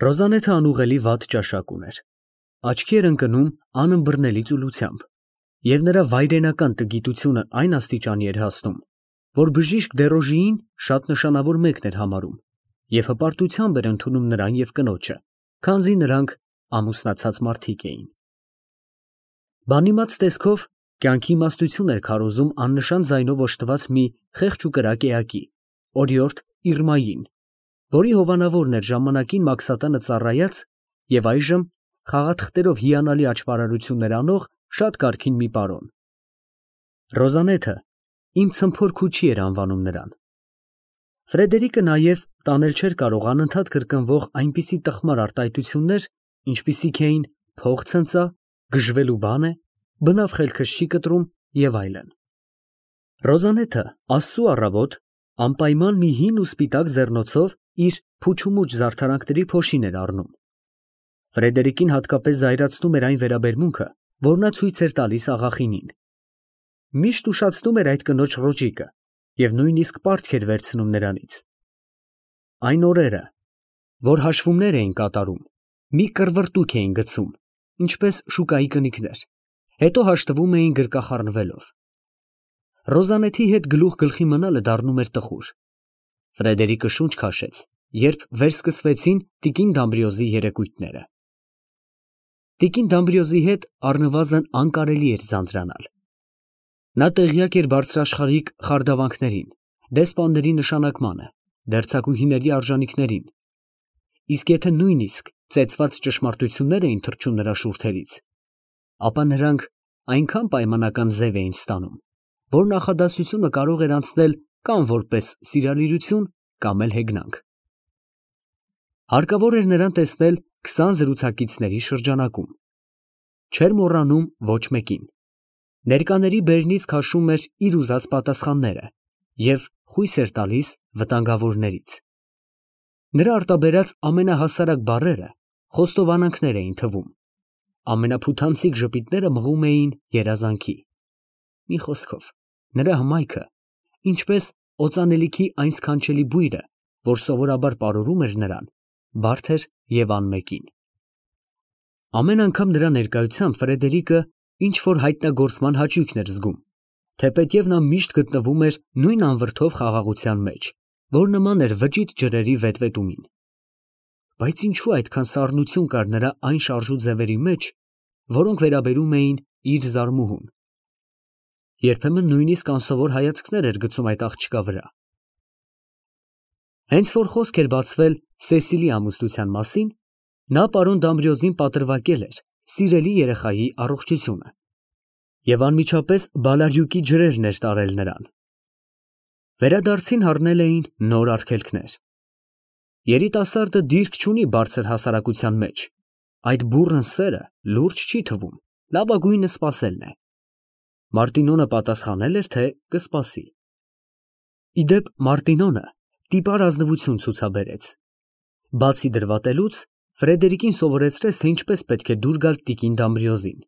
Ռոզանեթը անուղելի վատ ճաշակ ուներ, աչքի էր ընկնում անըմբռնելի ծուլությամբ, և նրա վայրենական տգիտությունը այն աստիճանի էր հասնում, որ բժիշկ Դերոժիին շատ նշանավոր մեկն էր համարում և հպարտությամբ էր ընդունում նրան և կնոջը, քանզի նրանք ամուսնացած մարդիկ էին։ Բանիմաց տեսքով կյանքի իմաստություն էր քարոզում աննշան ձայնով օժտված մի խեղճ ու կրակ էակի, օրիորդ Իրմային, որի հովանավորն էր ժամանակին Մաքսատանը ծառայած և այժմ խաղաթղթերով հիանալի աճպարարություններ անող շատ կարգին մի պարոն։ Ռոզանեթը իմ ցմփոր քուչի էր անվանում նրան։ Ֆրեդերիկը նաև տանել չէր կարող անընդհատ կրկնվող այնպիսի տխմար արտահայտություններ, ինչպիսիք էին փող ցնծա, գժվելու բան է, բնավ խելքս չի կտրում և այլն։ Ռոզանեթը Աստծու առավոտ անպայման մի հին ու սպիտակ ձեռնոցով իր փուչումուչ զարդարանքների փոշին էր առնում։ Ֆրեդերիկին հատկապես զայրացնում էր այն վերաբերմունքը, որ նա ցույց էր տալիս աղախինին։ Միշտ ուշացնում էր այդ կնոջ ռոճիկը և նույնիսկ պարտք էր վերցնում նրանից։ Այն օրերը, որ հաշվումներ էին կատարում, մի կռվռտուք էին գցում, ինչպես շուկայի կնիկներ, հետո հաշտվում էին գրկախառնվելով։ Ռոզանեթի հետ գլուխ գլխի մնալը դառնում էր տխուր։ Ֆրեդերիկը շունչ քաշեց, երբ վերսկսվեցին տիկին Դամբրիոզի երեկույթները։ Տիկին Դամբրիոզի հետ առնվազն անկարելի էր ձանձրանալ։ Նա տեղյակ էր բարձրաշխարհիկ խարդավանքներին, դեսպանների նշանակմանը, դերձակուհիների արժանիքներին, իսկ եթե նույնիսկ ծեծված ճշմարտություններ էին թռչում նրա շուրթերից, ապա նրանք այնքան պայմանական ձև էին ստանում, որ նախադասությունը կարող էր անցնել կամ որպես սիրալիրություն, կամ էլ հեգնանք։ Հարկավոր էր նրան տեսնել 20 զրուցակիցների շրջանակում։ Չէր մոռանում ոչ մեկին։ Ներկաների բերնից քաշում էր իր ուզած պատասխանները և խույս էր տալիս վտանգավորներից։ Նրա արտաբերած ամենահասարակ բառերը խոստովանանքներ էին թվում, ամենափութանցիկ ժպիտները մղում էին երազանքի։ Մի խոսքով, նրա հմայքը, ինչպես օծանելիքի այն սքանչելի բույրը, որ սովորաբար պարուրում էր նրան, բարդ էր և անմեկին։ Ամեն անգամ նրա ներկայությամբ Ֆրեդերիկը ինչ-որ հայտնագործման հաճույքն էր զգում, թեպետև նա միշտ գտնվում էր նույն անվրդով խաղաղության մեջ, որ նման էր վճիտ ջրերի վետվետումին։ Բայց ինչու այդքան սառնություն կար նրա այն շարժու ձևերի մեջ, որոնք վերաբերում էին իր զարմուհուն։ Երբեմն նույնիսկ անսովոր հայացքներ էր գցում այդ աղջկա վրա։ Հենց որ խոսք էր բացվել Սեսիլի ամուսնության մասին, նա պարոն Դամբրիոզին պատրվակել էր սիրելի երեխայի առողջությունը և անմիջապես բալարյուկի ջրերն էր տարել նրան։ Վերադարձին հառնել էին նոր արգելքներ։ Երիտասարդը դիրք չունի բարձր հասարակության մեջ, այդ բուռն սերը լուրջ չի թվում, լավագույնը սպասելն է։ Մարտինոնը պատասխանել էր, թե կսպասի։ Ի դեպ, Մարտինոնը տիպար ազնվություն ցուցաբերեց։ Բացի դրվատելուց, Ֆրեդերիկին սովորեցրեց, թե ինչպես պետք է դուր գալ տիկին Դամբրիոզին,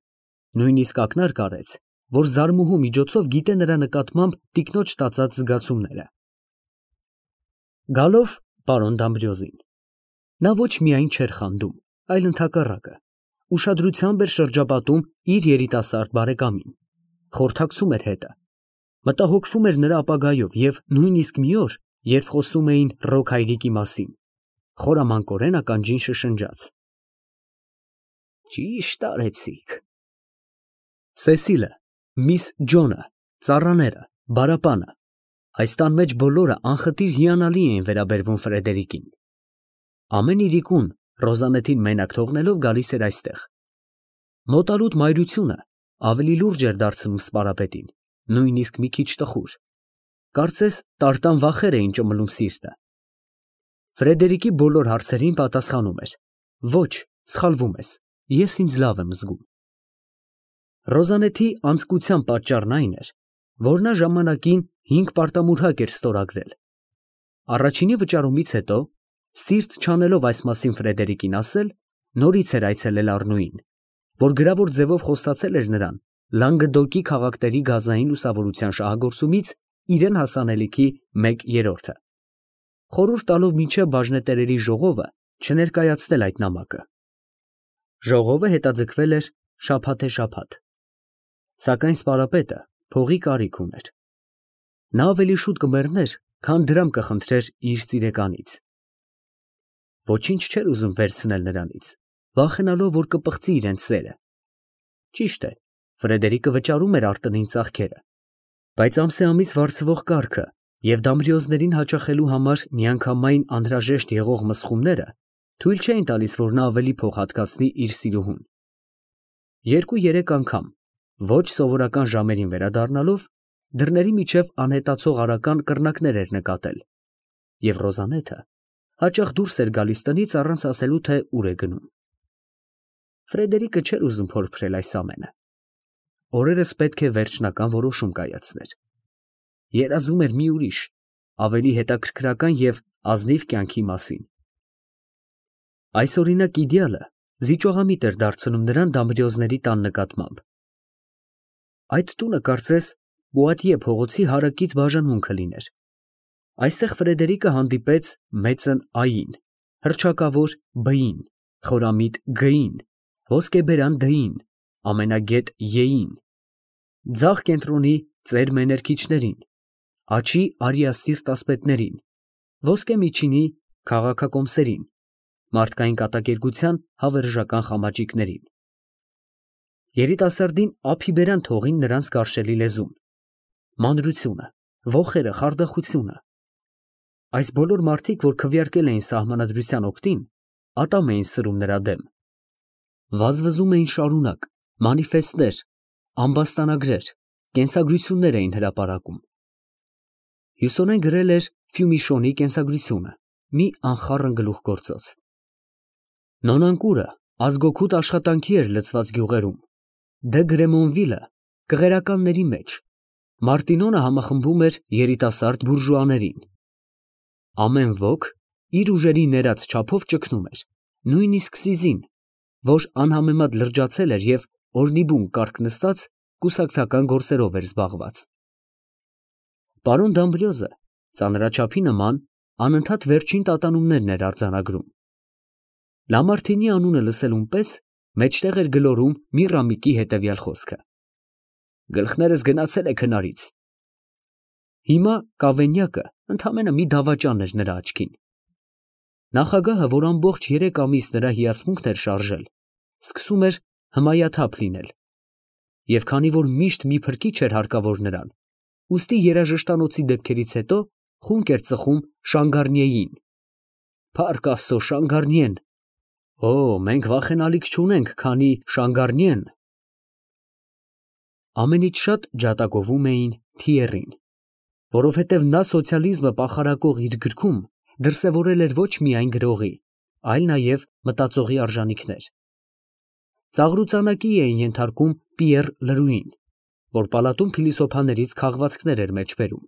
նույնիսկ ակնարկ արեց, որ զարմուհու միջոցով գիտե նրա նկատմամբ տիկնոջ տածած զգացումները։ Գալով պարոն Դամբրիոզին, նա ոչ միայն չէր խանդում, այլ ընդհակառակը, ուշադրությամբ էր շրջապատում իր երիտասարդ բարեկամին, խորհրդակցում էր հետը, մտահոգվում էր նրա ապագայով և նույնիսկ մի օր, երբ խոսում էին Ռոք հայրիկի մասին, խորամանկորեն ականջին շշնջաց. «Ճիշտ արեցիք»։ Սեսիլը, միս Ջոնը, ծառաները, բարապանը, այս տան մեջ բոլորը անխտիր հիանալի էին վերաբերվում Ֆրեդերիկին։ Ամեն իրիկուն Ռոզանեթին մենակ թողնելով գալիս էր այստեղ։ Մոտալուտ մայրությունը ավելի լուրջ էր դարձնում սպարապետին, նույնիսկ մի քիչ տխուր։ Կարծես տարտան վախեր էին ճմլում սիրտը։ Ֆրեդերիկի բոլոր հարցերին պատասխանում էր. «Ոչ, սխալվում ես, ես ինձ լավ եմ զգում»։ Ռոզանեթի անձկության պատճառն այն էր, որ նա ժամանակին 5 պարտամուրհակ էր ստորագրել։ Առաջինի վճարումից հետո, սիրտ չանելով այս մասին Ֆրեդերիկին ասել, նորից էր այցելել Առնուին, որ գրավոր ձևով խոստացել էր նրան Լանգդոկի քաղաքների գազային լուսավորության շահագործումից իրեն հասանելիքի 1/3-ը, խորհուրդ տալով մինչև բաժնետերերի ժողովը չներկայացնել այդ նամակը։ Ժողովը հետաձգվել էր շաբաթ, սակայն սպարապետը փողի կարիք ուներ։ Նա ավելի շուտ կմեռներ, քան դրամ կխնդրեր իր ծիրեկանից։ Ոչինչ չէր ուզում վերցնել նրանից, վախենալով, որ կպղծի իրենց սերը։ Ճիշտ է, Ֆրեդերիկը վճարում էր արտնին ծախքերը, բայց ամսեամիս վարձվող կարգը և դամբրիոզներին հաճախելու համար միանգամայն անհրաժեշտ եղող մսխումները թույլ չէին տալիս, որ նա ավելի փող հատկացնի իր սիրուհուն։ 2-3 անգամ, ոչ սովորական ժամերին վերադառնալով, դռների միջև անհետացող արական կռնակներ էր նկատել, և Ռոզանեթը հաճախ դուրս էր գալիս տնից առանց ասելու, թե ուր է գնում։ Ֆրեդերիկը չէր ուզում փորփրել այս ամենը։ Օրերս պետք է վերջնական որոշում կայացներ։ Երազում էր մի ուրիշ, ավելի հետաքրքրական և ազնիվ կյանքի մասին։ Այսօրինակ իդեալը զիջողամիտ էր դարձնում նրան դամբրիոզների տան նկատմամբ։ Այդ տունը կարծես Պուատիե փողոցի հարակից բաժանմունքը լիներ։ Այստեղ Ֆրեդերիկը հանդիպեց մեծն Ա֊ին, հռչակավոր Բ-ին, խորամիտ Գ-ին, ոսկեբերան Դ-ին, ամենագետ Ե-ին, ձախ կենտրոնի ծեր մեներքիչներին, աջ արիասիրտ ասպետներին, ոսկե միջինի քաղաքակոմսերին, մարդկային կատակերգության հավերժական խամաճիկներին։ Երիտասարդին ափի բերան թողին նրանց գարշելի լեզուն, մանրությունը, ոխերը, խարդախությունը։ Այս բոլոր մարդիկ, որ քվեարկել էին սահմանադրության օգտին, ատամ էին սրում նրա դեմ։ Վազվզում էին շարունակ, մանիֆեստներ, ամբաստանագրեր, կենսագրություններ էին հրապարակում։ Հյուսոնեն գրել էր Ֆյումիշոնի կենսագրությունը, մի անխառն գլուխգործոց։ Նոնանկուրը ազգօգուտ աշխատանքի էր լցված գյուղերում, Դե Գրեմոնվիլը կղերականների մեջ, Մարտինոնը համախմբում էր երիտասարդ բուրժուաներին։ Ամեն ոք իր ուժերի ներած չափով ճգնում էր, նույնիսկ Սիզին, որ անհամեմատ լրջացել էր և օրնիբուն կառք նստած կուսակցական գործերով էր զբաղված։ Պարոն Դամբրիոզը ծանրաչափի նման անընդհատ վերջին տատանումներն էր արձանագրում։ Լամարթինի անունը լսելուն պես մեջտեղ էր գլորում Միրամիկի հետևյալ խոսքը. «Գլխներս գնացել է քնարից»։ Հիմա Կավենյակը ընդամենը մի դավաճան էր նրա աչքին։ Նախագահը, որ ամբողջ 3 ամիս նրա հիացմունքն էր շարժել, սկսում էր հմայաթափ լինել, և քանի որ միշտ մի փրկիչ էր հարկավոր նրան, ուստի երաժշտանոցի դեպքերից հետո խունկ էր ծխում Շանգարնիեին։ Փառք Աստծո, Շանգարնիեն։ Օ, մենք վախենալիք չունենք, քանի Շանգարնիեն։ Ամենից շատ ջատագովում էին Թիերին, որովհետև նա սոցիալիզմը պախարակող իր գրքում դրսևորել էր ոչ միայն գրողի, այլ նաև մտածողի արժանիքներ։ Ծաղրուծանակի էին ենթարկում Պիեռ Լրուին, որ պալատում փիլիսոփաներից քաղվածքներ էր մեջբերում։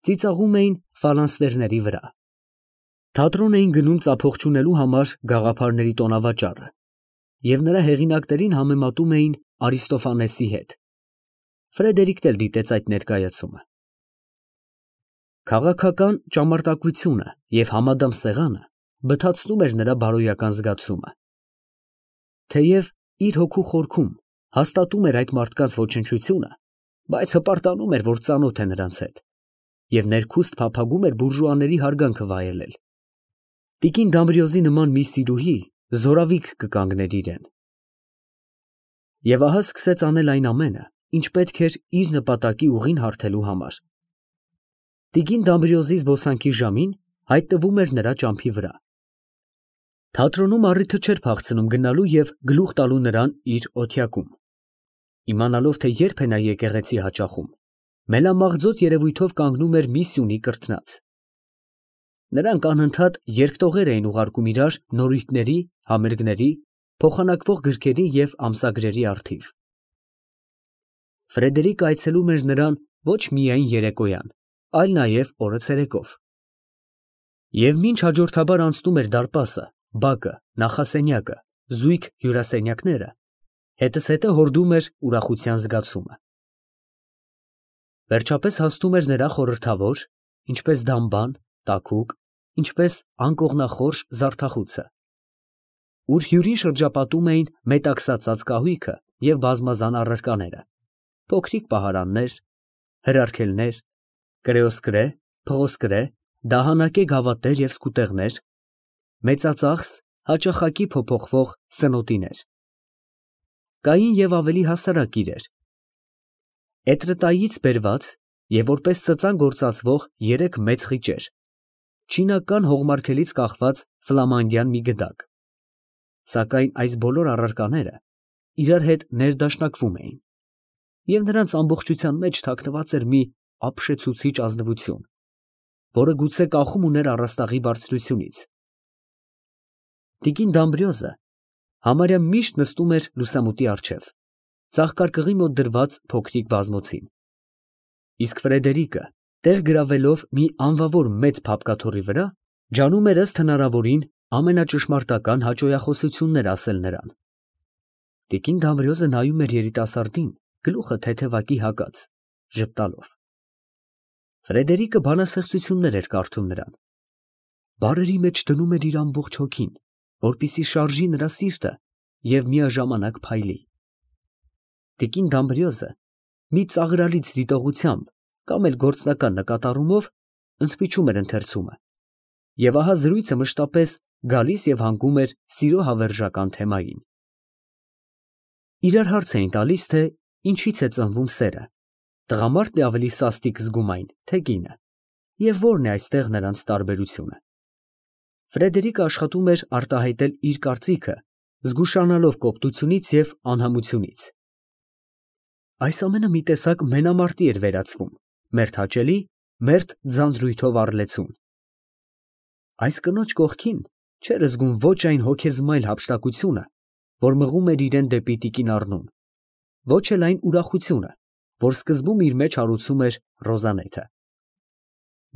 Ծիծաղում էին ֆալանստերների վրա։ Թատրոն էին գնում ծափող չունելու համար գաղափարների տոնավաճառը, և նրա հեղինակներին համեմատում էին Արիստոֆանեսի հետ։ Ֆրեդերիկն էլ դիտեց այդ ներկայացումը։ Քաղաքական ճամարտակությունը և համադամ սեղանը բթացնում էր նրա բարոյական զգացումը։ Թեև իր հոգու խորքում հաստատում էր այդ մարդկանց ոչնչությունը, բայց հպարտանում էր, որ ծանոթ է նրանց հետ, և ներքուստ փափագում էր բուրժուաների հարգանքը վայելել։ Տիկին Դամբրիոզի նման մի սիրուհի զորավիք կկանգներ իրեն։ Եվ ահա սկսեց անել այն ամենը, ինչ պետք էր իր նպատակի ուղին հարթելու համար։ Տիկին Դամբրիոզի զբոսանքի ժամին հայտնվում էր նրա ճամփի վրա։ Թատրոնում առիթը չէր փախցնում գնալու և գլուխ տալու նրան իր օթյակում։ Իմանալով, թե երբ է նա եկեղեցի հաճախում, մելամաղձոտ երևույթով կանգնում էր մի սյունի կրթնած։ Նրանք անընդհատ երկտողեր էին ուղարկում իրար նորույթների, համերգների, փոխանակվող գրքերի և ամսագրերի առթիվ։ Ֆրեդերիկը այցելում էր նրան ոչ միայն երեկոյան, այլ նաև օրը ցերեկով։ Եվ մինչ հաջորդաբար անցնում էր դարպասը, բակը, նախասենյակը, զույգ հյուրասենյակները, հետզհետե հորդում էր ուրախության զգացումը։ Վերջապես հասնում էր նրա խորհրդավոր, ինչպես դամբան, տաքուկ ինչպես անկողնախորշ զարդախուցը, ուր հյուրին շրջապատում էին մետաքսացած կահույքը և բազմազան առարկաները, փոքրիկ պահարաններ, հրարգելներ, կրեոսկրե, փղոսկրե, դահանակե գավաթներ և սկուտեղներ, մեծածախս, հաճախակի փոփոխվող սնոտիներ։ Կային և ավելի հասարակ իրեր. էտրտայից բերված և որպես ծծան գործածվող 3 մեծ խիճեր, չինական հողմարգելից կախված ֆլամանդյան մի գդակ, սակայն այս բոլոր առարկաները իրար հետ ներդաշնակվում էին, և նրանց ամբողջության մեջ թաքնված էր մի ապշեցուցիչ ազնվություն, որը գուցե կախում ուներ առաստաղի բարձրությունից։ Տիկին Դամբրիոզը համարյա միշտ նստում էր լուսամուտի առջև, ծաղկարկղի մոտ դրված փոքրիկ բազմոցին, իսկ Ֆրեդերիկը, տեղ գրավելով մի անվավոր մեծ փափկաթոռի վրա, ջանում էր ըստ հնարավորին ամենաճշմարտական հաճոյախոսություններ ասել նրան։ Տիկին Դամբրիոզը նայում էր երիտասարդին, գլուխը թեթևակի հագած, ժպտալով։ Ֆրեդերիկը բանաստեղծություններ էր կարդում նրան, բառերի մեջ դնում էր իր ամբողջ հոգին, որպեսզի շարժի նրա սիրտը և միաժամանակ փայլի։ Տիկին Դամբրիոզը մի ծաղրալից դիտողությամբ կամ էլ գործնական նկատառումով ընդմիջում էր ընթերցումը, և ահա զրույցը մշտապես գալիս և հանգում էր սիրո հավերժական թեմային։ Իրար հարց էին տալիս, թե ինչից է ծնվում սերը, տղամարդն է ավելի սաստիկ զգում այն, թե կինը, և որն է այստեղ նրանց տարբերությունը։ Ֆրեդերիկը աշխատում էր արտահայտել իր կարծիքը, զգուշանալով կոպտությունից և անհամությունից։ Այս ամենը մի տեսակ մենամարտի էր վերածվում, մերթ հաճելի, մերթ ձանձրույթով առլեցուն։ Այս կնոջ կողքին չէր զգում ոչ այն հոգեզմայլ հափշտակությունը, որ մղում էր իրան դեպի տիկին Առնուն, ոչ էլ այն ուրախությունը, որ սկզբում իր մեջ հարուցում էր Ռոզանեթը։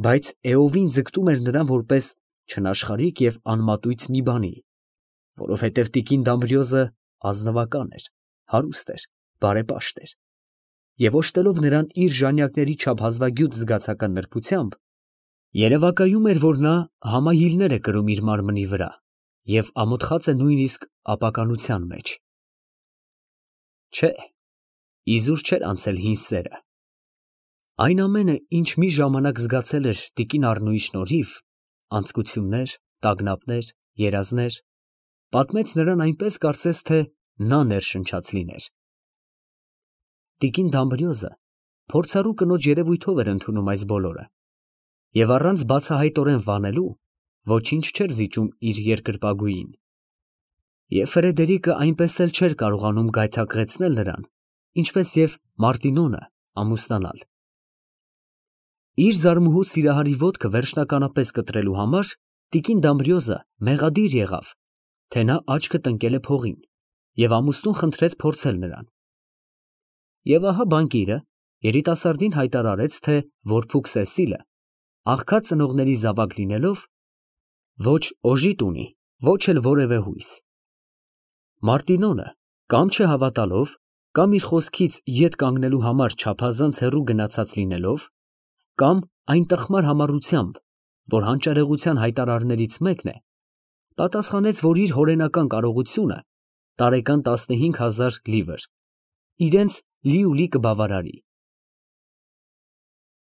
Բայց էովին ձգտում էր նրան որպես չնաշխարհիկ և անմատույց մի բանի, որովհետև տիկին Դամբրիոզը ազնվական էր, հարուստ էր, բարեպաշտ էր, և օժտելով նրան իր ժանյակների չափ հազվագյուտ զգացական նրբությամբ, երևակայում էր, որ նա համահիլներ է կրում իր մարմնի վրա և ամոթխած է նույնիսկ ապականության մեջ։ Չէ, իզուր չէր անցել հին սերը։ Այն ամենը, ինչ մի ժամանակ զգացել էր տիկին Առնուի շնորհիվ, անձկություններ, տագնապներ, երազներ, պատմեց նրան այնպես, կարծես թե նա ներշնչած լիներ։ Տիկին Դամբրիոզը փորձառու կնոջ երևույթով էր ընդունում այս բոլորը, և առանց բացահայտորեն վանելու ոչինչ չէր զիջում իր երկրպագուին։ Եվ Ֆրեդերիկը այնպես էլ չէր կարողանում գայթակղեցնել նրան, ինչպես և Մարտինոնը ամուսնանալ։ Իր զարմուհու սիրահարի ոտքը վերջնականապես կտրելու համար տիկին Դամբրիոզը մեղադիր եղավ, թե նա աչքը տնկել է փողին, և ամուսնուն խնդրեց փորձել նրան։ Եվ ահա բանկիրը երիտասարդին հայտարարեց, թե որփուք Սեսիլը, աղքատ ծնողների զավակ լինելով, ոչ օժիտ ունի, ոչ էլ որևէ հույս։ Մարտինոնը կամ չհավատալով, կամ իր խոսքից ետ կանգնելու համար չափազանց հեռու գնացած լինելով, կամ այն տխմար համառությամբ, որ հանճարեղության հայտարարներից մեկն է, պատասխանեց, որ իր հորենական կարողությունը տարեկան 15,000 լիվր իրենց լիուլի կբավարարի։